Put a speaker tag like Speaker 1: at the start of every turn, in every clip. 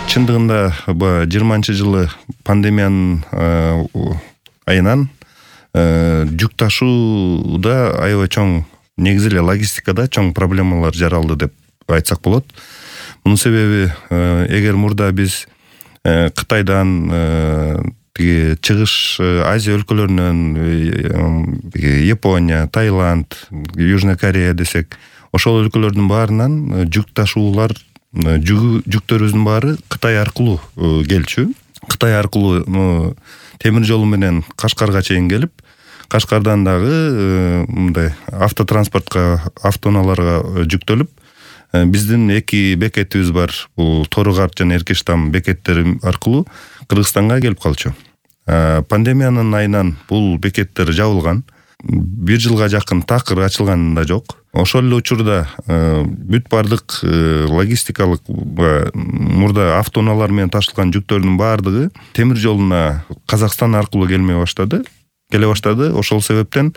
Speaker 1: Чындыгында 20-жылы пандемиянын айынан жүк ташууда аябай чоң, негизи эле логистикада чоң проблемалар жаралды деп айтсак болот. Мунун себеби эгер мурда биз Кытайдан чыгыш Азия өлкөлөрүнөн, Япония, Таиланд, Южная Корея десек, ошол өлкөлөрдүн баарынан жүк ташуулар, жүктөрүбүздүн баары Кытай аркылуу келчү. Кытай аркылуу темир жолу менен Кашкарга чейин келип, Кашкардан дагы мындай автотранспортко, автоунааларга жүктөлүп, биздин 2 бекетибиз бар. Бул Торугарт жана Эркештам бекеттери аркылуу Кыргызстанга келип калчу. Пандемиянын айынан бул бекеттер жабылган. 1 жылга жакын такыр ачылган да жок. Ошол эле учурда бүт бардык логистикалык мурда автоунаалар менен ташылган жүктөрдүн баардыгы темир жолуна Казакстан аркылуу келе баштады. Ошол себептен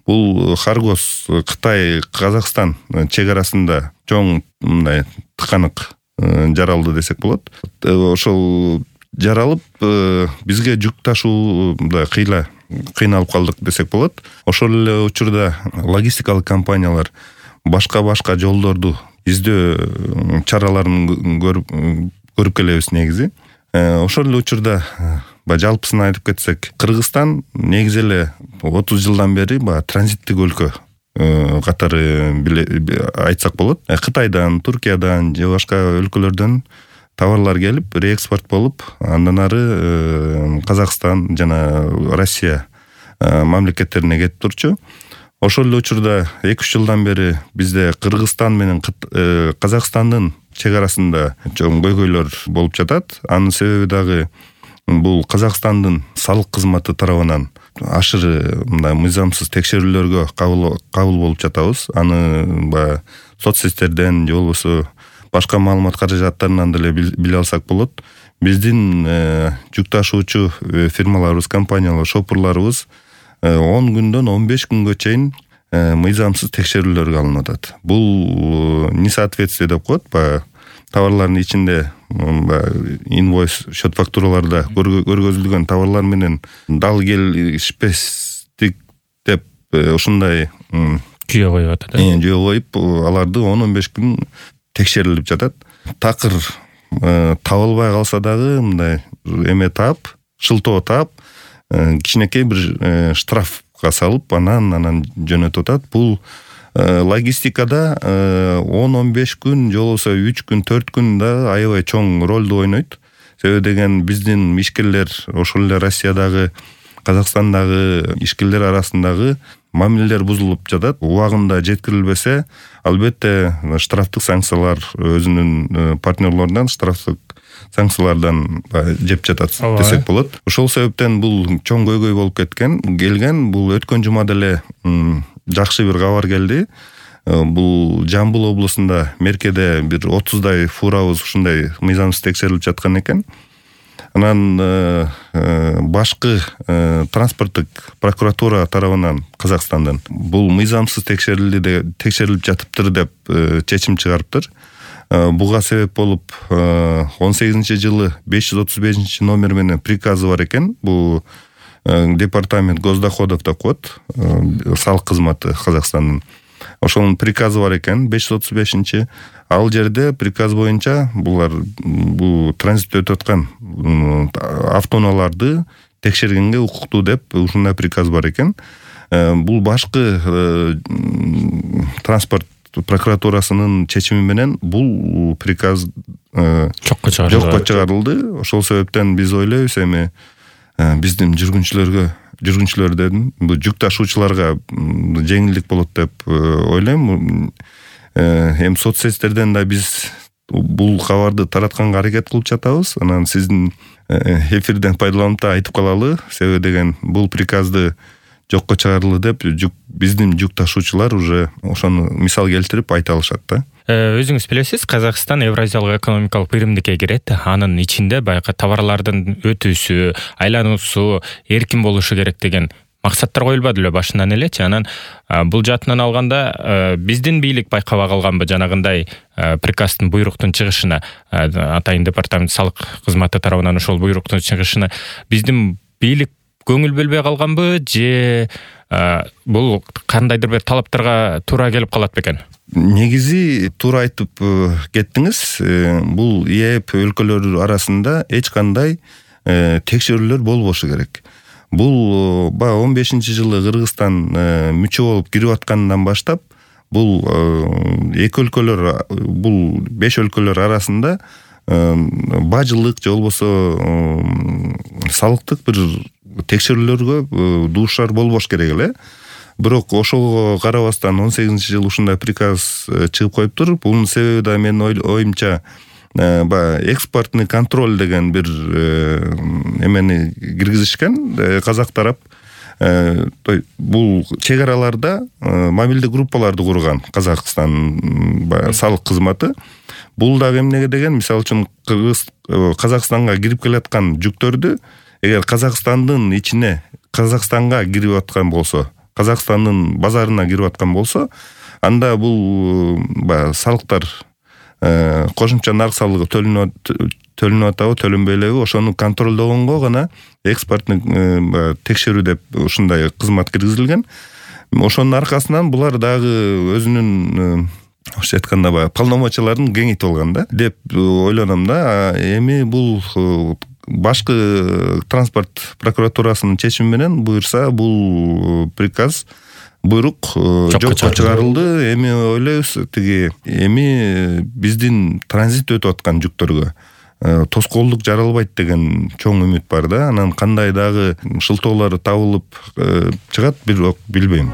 Speaker 1: бул Харгос Кытай Казакстан чек арасында чоң мындай тыканык жаралды десек болот. Ошол жаралып бизге жүк ташууда кыйналып калдык десек болот. Ошол эле учурда логистикалык компаниялар башка жолдорду издөө чараларын көрүп келебиз негизи. Ошол эле учурда жалпысын айтып кетсек, Кыргызстан негизи эле 30 жылдан бери транзиттик өлкө катары айтсак болот. Кытайдан, Туркиядан же башка өлкөлөрдөн товарлар келип, реэкспорт болуп, андан ары Казакстан жана Россия мамлекеттерине кетип турчу. Ошол эле учурда 2-3 жылдан бери бизде Кыргызстан менен Казакстандын чек арасында чоң көйгөйлөр болуп жатат. Анын себеби дагы бул Казакстандын салык кызматы тарабынан ашыры мындай мыйзамсыз текшерүүлөргө кабыл болуп жатабыз. Аны соцсеттерден же болбосо башка маалымат каражаттарынан деле биле алсак болот. Биздин жүк ташуучу фирмаларыбыз, компаниялар, шопурларыбыз 10 күндөн 15 күнгө чейин мыйзамсыз текшерүүлөргө алынып атат. Бул несоответствие деп коет. Товарлардын ичинде инвойс, счет фактураларда көргөзүлгөн товарлар менен дал келишпестик деп ушундай
Speaker 2: жүйө коюп атат.
Speaker 1: Жүйө коюп, аларды 10-15 күн текшерилип жатат. Такыр табылбай калса дагы мындай эме таап, шылтоо таап, кичинекей бир штрафка салып, анан жөнөтүп атат. Бул логистикада 10-15 күн, же болбосо 3 күн, 4 күн да аябай чоң ролду ойнойт. Себеби деген биздин ишкерлер, ошол эле Россиядагы, Казакстандагы ишкерлер арасындагы мамилелер бузулуп жатат. Убагында жеткирилбесе, албетте штрафтык санкциялар өзүнүн партнерлорунан штрафтык санкциялардан жеп жатат десек болот. Ошол себептен бул чоң көйгөй болуп келген. Бул өткөн жумада эле жакшы бир кабар келди. Бул Жамбыл облусунда Меркеде бир 30дай фурабыз ушундай мыйзамсыз текшерилип жаткан экен. Анан башкы транспорттук прокуратура тарабынан Казакстандан бул мыйзамсыз текшерилип жатыптыр деп чечим чыгарыптыр. Буга себеп болуп 18-жылы 535 номер менен приказы бар экен. Бул департамент госдоходов деп коет, салык кызматы Казакстандын. Ошонун приказы бар экен, 535. Ал жерде приказ боюнча булар бул транзитте өтүп аткан автоунааларды текшергенге укуктуу деп ушундай приказ бар экен. Бул башкы транспорт прокуратурасынын чечими менен бул приказ жокко чыгарылды. Ошол себептен биз ойлойбуз, эми биздин жүргүнчүлөрдөн бул жүк ташуучуларга жеңилдик болот деп ойлойм. Эми соцсеттерден да биз бул кабарды таратканга аракет кылып жатабыз. Анан сиздин эфирден пайдаланып да айтып калалы, себеби деген бул приказды жокко чыгарылды деп биздин жүк ташуучулар уже ошону мисал келтирип айта алышат да.
Speaker 2: Өзүңүз билесиз, Казакстан Евразиялык экономикалык биримдикке кирет. Анын ичинде баягы товарлардын өтүүсү, айлануусу эркин болушу керек деген максаттар коюлбады эле башынан элечи. Анан бул жаатынан алганда биздин бийлик байкабай калганбы жанагындай приказдын буйруктун чыгышына, атайын департамент салык кызматы тарабынан ошол буйруктун чыгышына биздин бийлик көңүл бөлбөй калганбы же бул кандайдыр бир талаптарга туура келип калат бекен?
Speaker 1: Негизи туура айтып кеттиңиз. Бул ИЭП өлкөлөрү арасында эч кандай текшерүүлөр болбошу керек. Бул 15-жылы Кыргызстан мүчө болуп кирип аткандан баштап бул эки өлкөлөр, бул 5 өлкөлөр арасында бажылык же болбосо салыктык бир текшерүүлөргө дуушар болбош керек эле. Бирок ошого карабастан 18-жылы ушундай приказ чыгып коюптур. Бунун себеби да менин оюмча экспортный контроль деген бир эмени киргизишкен казак тарап. Бул чек араларда мобилдик группаларды курган Казакстан салык кызматы. Бул дагы эмнеге деген, мисалы үчүн Казакстанга кирип келаткан жүктөрдү эгер Казакстандын ичине, Казакстанга кирип аткан болсо, Казакстандын базарына кирип аткан болсо, анда бул салыктар кошумча нарк салыгы төлөнүп атабы, төлөнбөй элеби, ошону контролдогонго гана экспортный текшерүү деп ушундай кызмат киргизилген. Ошонун аркасынан булар дагы өзүнүн ошо айтканда полномочияларын кеңейтип алган да деп ойлоном да. Эми бул башкы транспорт прокуратурасынын чечими менен буюрса бул приказ, буйрук жокко чыгарылды. Эми ойлойбуз, эми биздин транзит өтүп аткан жүктөргө тоскоолдук жаралбайт деген чоң үмүт бар да. Анан кандай дагы шылтоолор табылып чыгат, бирок билбейм.